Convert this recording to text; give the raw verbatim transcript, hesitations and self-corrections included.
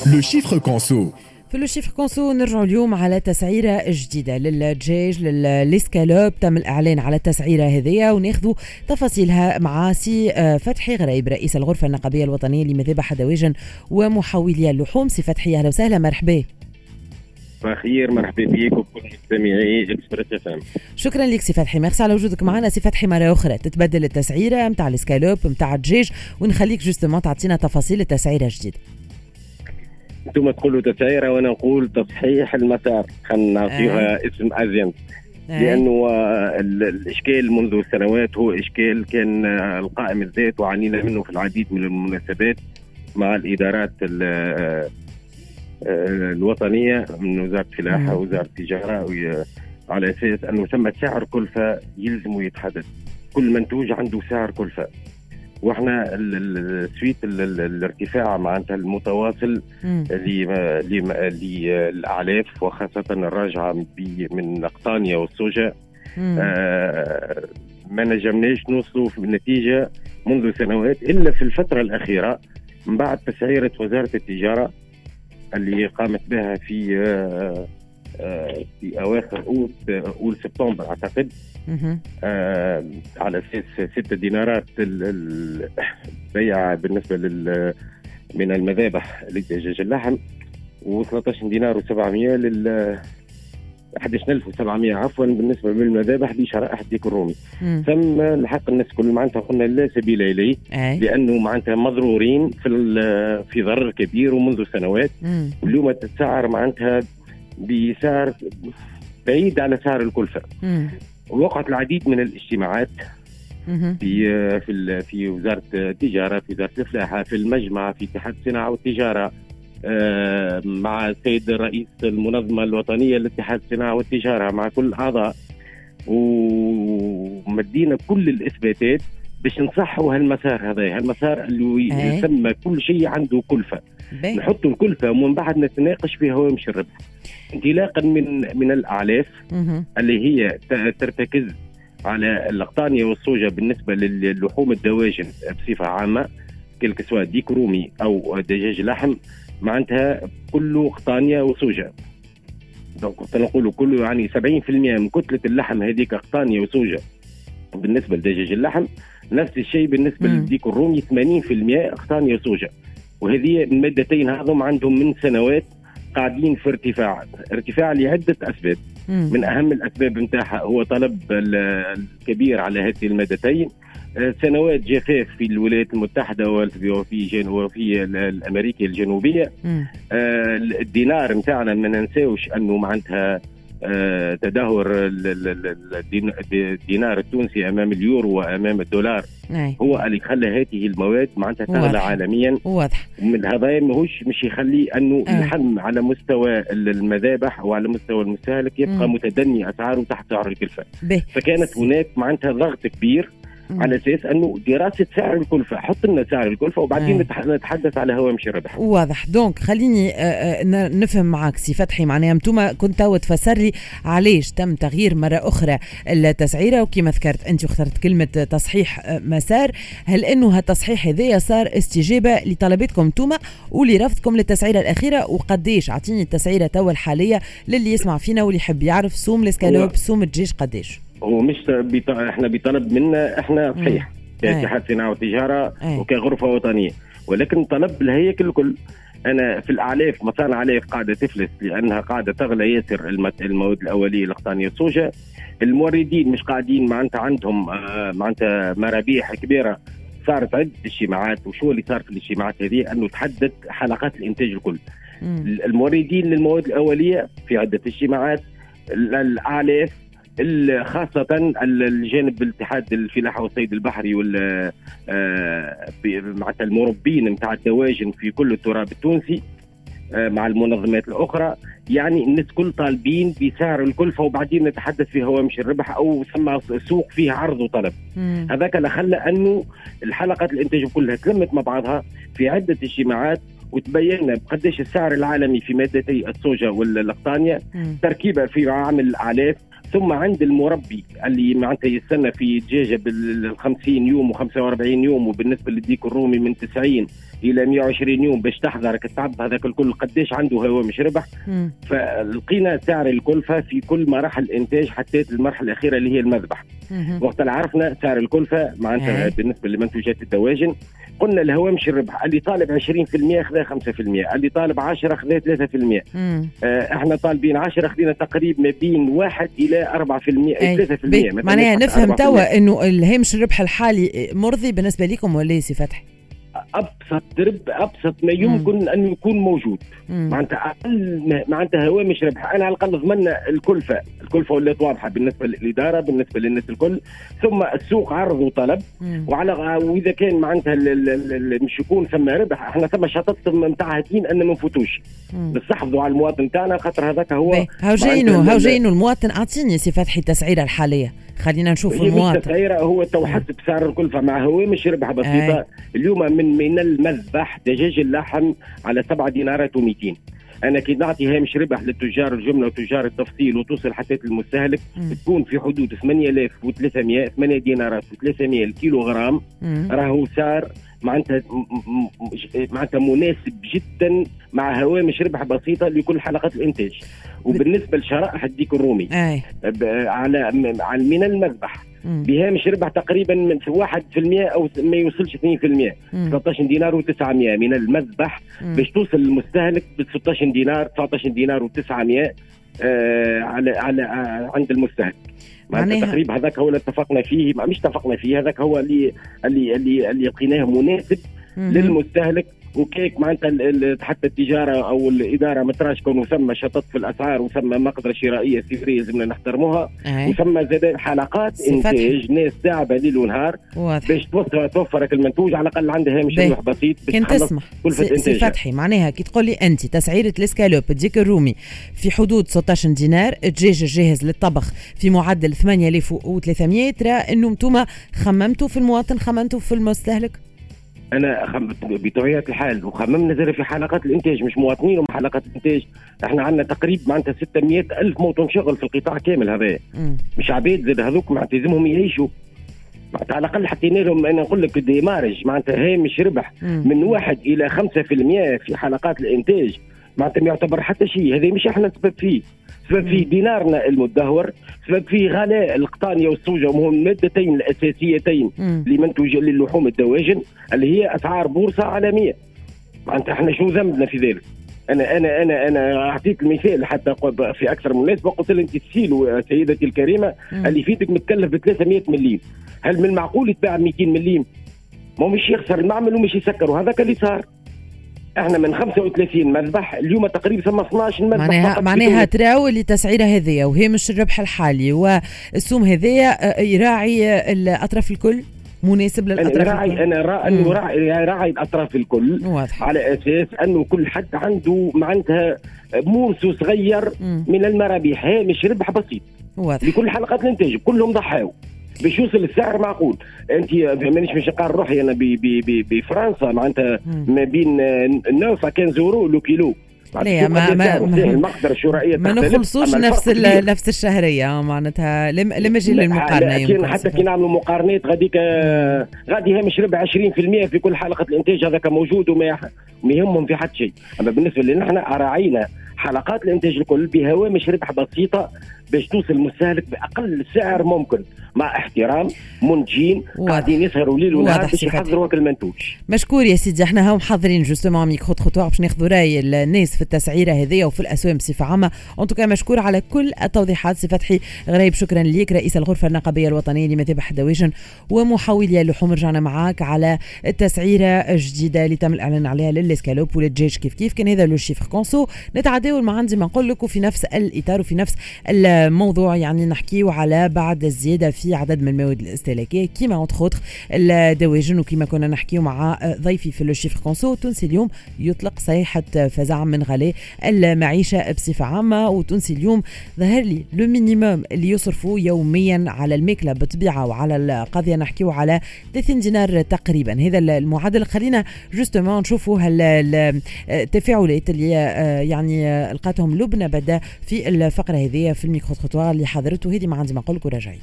Le chiffre conso. في le chiffre conso نرجعوا اليوم على تسعيره جديدة للدجاج للاسكالوب، تم الاعلان على التسعيره هذيا وناخذوا تفاصيلها مع سي فتحي غريب رئيس الغرفة النقابيه الوطنية لمذابح الدواجن ومحولي اللحوم. سي فتحي اهلا وسهلا، مرحبا. بخير، مرحبا بك وبكل مستمعي Express FM. شكرا لك سي فتحي، ميرسي على وجودك معنا. سي فتحي مرة اخرى تتبدل التسعيره نتاع الاسكالوب نتاع الدجاج ونخليك justement تعطينا تفاصيل التسعيره الجديدة. انتم تقولوا تسعيره وانا نقول تصحيح المسار، خلينا نعطيها آه. اسم ازين، لانه الاشكال منذ سنوات هو اشكال كان القائم الذات وعانينا منه في العديد من المناسبات مع الادارات الوطنية من وزارة الفلاحة ووزارة التجارة، على اساس انه ثم سعر كلفه يلزم يتحدد، كل منتوج عنده سعر كلفه، واحنا ال suite الارتفاع معناتها المتواصل للاعلاف وخاصة الراجعة من القطانيه والسوجه، آه ما نجمناش نوصلوا في النتيجة منذ سنوات الا في الفترة الاخيرة من بعد تسعيره وزارة التجارة اللي قامت بها في آه آه في اواخر اوت اول سبتمبر اعتقد، آه على اساس ستة دينارات البيع بالنسبة لل من المذابح لدجاج اللحم، وثلاثة عشر دينار وسبعمية لل أحد عشر ألف وسبعمية عفوا بالنسبة للمذابح لشرائح الديك الرومي. ثم الحق الناس كل معناتها قلنا لا سبيل اليه، لانه معناتها مضرورين في في ضرر كبير ومنذ سنوات، واليوم تتسعر معناتها بسعر بعيد على سعر الكلفة. وقعت العديد من الاجتماعات في في في وزارة التجارة، في وزارة الفلاحة، في المجمع، في اتحاد الصناعة والتجارة، مع السيد رئيس المنظمة الوطنية لاتحاد الصناعة والتجارة، مع كل الاعضاء، ومدينا كل الاثباتات باش نصحوا هالمسار هذا، هالمسار اللي يسمى كل شيء عنده كلفه، نحطوا الكلفة ومن بعد نتناقش في هوامش الربح، انطلاقا من من الاعلاف اللي هي ترتكز على القطانيه والصوجه بالنسبة للحوم الدواجن بصفة عامة، كلك سواء ديك رومي او دجاج لحم، معناتها كله قطانيه وصوجه. donc نقولوا كله يعني سبعين بالمئة من كتلة اللحم هذيك قطانيه وصوجه بالنسبة لدجاج اللحم، نفس الشيء بالنسبة للديك الرومي ثمانين بالمئة قطانيه وصوجه. وهذه المادتين هذم عندهم من سنوات قاعدين في ارتفاع، ارتفاع لعدة أسباب. مم. من أهم الأسباب نتاعها هو طلب الكبير على هذه المادتين، سنوات جفاف في الولايات المتحدة وفي وفي الأمريكا الجنوبية، آه الدينار نتاعنا ما ننساوش أنه معناتها آه تدهور الدينار التونسي أمام اليورو وأمام الدولار. أي. هو اللي خلى هذه المواد معناتها تغلى عالميا. واضح. من هذا ماهوش مش يخلي أنه اللحم على مستوى المذابح وعلى مستوى المستهلك يبقى مم. متدني أسعاره تحت سعر الكلفة. فكانت هناك معناتها ضغط كبير مم. على اساس انه دراسة سعر الكلفة، حط لنا سعر الكلفة وبعدين نتحدث على هوامش الربح. واضح. donc خليني نفهم معاك سي فتحي، معناها انتم كنت تو تفسر لي علاش تم تغيير مرة اخرى التسعيره، وكما ذكرت انت واخترت كلمة تصحيح مسار، هل انه هالتصحيح هذايا صار استجابة لطلباتكم انتم ولرفضكم للتسعيره الاخيرة؟ وقديش اعطيني التسعيره تو الحالية للي يسمع فينا واللي يحب يعرف سوم الاسكالوب سوم الدجاج قديش؟ هو مش بيط... احنا بطلب منا احنا صحيح كاتحاد صناعة وتجارة وكغرفه وطنية، ولكن طلب الهياكل الكل. انا في الاعلاف مصانع اعلاف قاعدة تفلس لانها قاعدة تغلى ياسر المواد الاولية القطانيه الصوجه، الموردين مش قاعدين معناتها عندهم آه معناتها مرابيح كبيرة. صارت عده اجتماعات، وشو اللي صار في الاجتماعات هذه؟ انه تحدد حلقات الانتاج الكل. مم. الموردين للمواد الاولية في عده اجتماعات، الاعلاف خاصة الجانب الاتحاد الفلاحة والصيد البحري وال معناتها المربين نتاع الدواجن في كل التراب التونسي مع المنظمات الأخرى، يعني الناس كل طالبين بسعر الكلفة وبعدين نتحدث في هوامش الربح أو سمى سوق فيه عرض وطلب. هذاك اللي خلى أنه الحلقات الإنتاج كلها تلمت مع بعضها في عدة اجتماعات، وتبين بقداش السعر العالمي في مادتي الصوجة والقطانية، تركيبة في عامل الأعلاف ثم عند المربي اللي معناتها يستنى في دجاجه بال خمسين يوم وخمسة وأربعين يوم، وبالنسبة للديك الرومي من تسعين الى مئة وعشرين يوم باش تحضرك التعب هذاك الكل قداش عنده هوامش ربح. فلقينا سعر الكلفة في كل مراحل الانتاج حتى المرحلة الاخيرة اللي هي المذبح. وقت اللي عرفنا سعر الكلفة معناتها بالنسبة لمنتوجات الدواجن، قلنا الهوامش الربح اللي طالب عشرين بالمئة خذا خمسة بالمئة، اللي طالب عشرة خذا ثلاثة بالمئة. آه احنا طالبين عشرة خذينا تقريبا ما بين واحد الى أربعة بالمئة ثلاثة بالمئة. معناها نفهم توا انه الهامش الربح الحالي مرضي بالنسبة لكم ولا سي فتحي؟ ابسط رب ابسط ما يمكن مم. ان يكون موجود. معناتها اقل معناتها هوامش ربح. انا على الاقل ضمننا الكلفة، الكلفة ولات واضحة بالنسبة للادارة بالنسبة للناس الكل، ثم السوق عرض وطلب. مم. وعلى واذا كان معناتها مش يكون ثم ربح، احنا ثم شطط نتاع هاتين ان ما نفوتوش، نستحفظوا على المواطن تاعنا خاطر هذاك هو هاو جاينو هاو جاينو المواطن. اعطيني سي فتحي التسعيره الحالية، خلينا نشوف المواطن. التسعيره هو تو حسب سعر الكلفة مع هوامش ربح بسيطة. اليوم من من المذبح دجاج اللحم على سبعة دينارات ومئتين. انا كي نعطي هامش ربح للتجار الجملة وتجار التفصيل وتوصل حتى المستهلك تكون في حدود ثمانية آلاف وثلاثمئة، ثمانية دينارات وثلاثمئة الكيلو غرام، راهو سعر معناتها معناتها مناسب جدا مع هوامش ربح بسيطة لكل حلقات الانتاج. وبالنسبة لشرائح الديك الرومي على من المذبح بهامش ربح تقريبا من واحد بالمئة او ما يوصلش اثنين بالمئة، ثلاثة عشر دينار وتسعمئة من المذبح باش توصل للمستهلك ب ستة عشر دينار، تسعة عشر دينار وتسعمئة آه على على آه عند المستهلك. معناتها تقريبا هذاك هو اللي اتفقنا فيه، مش اتفقنا فيه، هذاك هو اللي اللي اللي, اللي لقيناه مناسب مم. للمستهلك. وكيك معناتها حتى التجارة او الادارة ما تراش كونه ثم شطط في الاسعار وثم مقدره شرائية صفريه لازمنا نحترموها، وثم زاد حلقات انتاج ناس تعبه ليل ونهار باش توفر توفرك المنتوج على الاقل عندها هامش ربح بسيط باش تخلص كلفه انتاج. سي فتحي معناها كي تقول لي انت تسعيره الاسكالوب ديك الرومي في حدود ستة عشر دينار، الدجاج الجاهز للطبخ في معدل ثمانية آلاف وثلاثمئة، ترى انه انتم خممتوا في المواطن، خممتوا في المستهلك؟ انا خم... بطبيعة الحال وخممنا زاد في حلقات الانتاج، مش مواطنين ومع حلقات الانتاج. احنا عندنا تقريبا معناتها ستمئة ألف موطن شغل في القطاع كامل هذا، مش عبيد زاد هذوك معناتها لازمهم يعيشوا، معناتها على الاقل حطينا لهم انا نقول لك démarrage معناتها هامش ربح من واحد الى خمسة بالمئة في حلقات الانتاج، معناتها ما يعتبر حتى شيء. هذا مش احنا السبب فيه، سبب فيه دينارنا المدهور، سبب فيه غلاء القطانيه والسوجه وهم المادتين الاساسيتين لمنتوج للحوم الدواجن اللي هي اسعار بورصة عالمية. معناتها احنا شو ذنبنا في ذلك؟ انا انا انا انا اعطيك المثال حتى في اكثر من مناسبة، قلت لها انت السيلو سيدتي الكريمة اللي فيتك متكلف ب ثلاثمئة مليم، هل من المعقول يتباع مئتين مليم؟ ما مش يخسر المعمل ومش يسكر، وهذاك اللي صار. احنا من خمسة وثلاثين مذبح اليوم تقريبا ثم اثناش مذبح. معناها معناها تراو اللي تسعيره هذيا وهامش الربح الحالي والسوم هذيا يراعي الاطراف الكل، مناسب للاطراف انا الكل. انا راعي انه راعي راعي الاطراف الكل. واضح. على اساس انه كل حد عنده معناتها morceau صغير مم. من المرابح، هامش ربح بسيط. واضح. لكل حلقات الانتاج كلهم ضحاو باش يوصل السعر معقول. انت مانيش باش نقارن روحي انا بفرنسا معناتها ما بين تسعة خمسة euros le kilo. لا ما ما المقدرة الشرائية ما نخلصوش نفس نفس الشهرية معناتها لما يجي للمقارنه. يمكن حتى كي نعملوا مقارنات غاديك غادي هامش ربح عشرين بالمئة في كل حلقة الانتاج هذاك موجود وما يهمهم في حد شيء. اما بالنسبة لنا احنا راعينا حلقات الانتاج الكل بهوامش ربح بسيطة باش توصل المستهلك باقل سعر ممكن، مع احترام منتجين قاعدين يسهروا ليل ونهار باش يحضروا المنتوج. مشكور يا سيدي، احنا هاو محضرين justement micro-trottoir باش ناخذوا راي الناس في التسعيره هذيا وفي الاسواق بصفة عامة. en tout cas مشكور على كل التوضيحات سي فتحي غريب، شكرا ليك رئيس الغرفة النقابيه الوطنية لمذابح الدواجن ومحولي اللحوم. رجعنا معاك على التسعيره الجديدة اللي تم الاعلان عليها للاسكالوب وللدجاج كيف كيف. كان هذا le chiffre conso. نتعداو ما عندي ما نقول لك، وفي نفس الاطار وفي نفس الموضوع يعني نحكيو على بعد الزيادة في عدد من المواد الاستهلاكية كيما entre autres الدواجن، وكيما كنا نحكيو مع ضيفي في le chiffre conso. تونسي اليوم يطلق صيحة فزع من غلاء المعيشة بصفة عامة، وتونسي اليوم ظهر لي le minimum اللي يصرفوا يوميا على الماكلة بالطبيعة وعلى القضية نحكيو على ثلاثين دينار تقريبا، هذا المعدل. خلينا justement نشوفوا التفاعلات اللي يعني لقاتهم لبنى بدا في الفقرة هذه في ال micro-trottoir اللي حضرته هذه. ما عندي ما نقول لك وراجعين.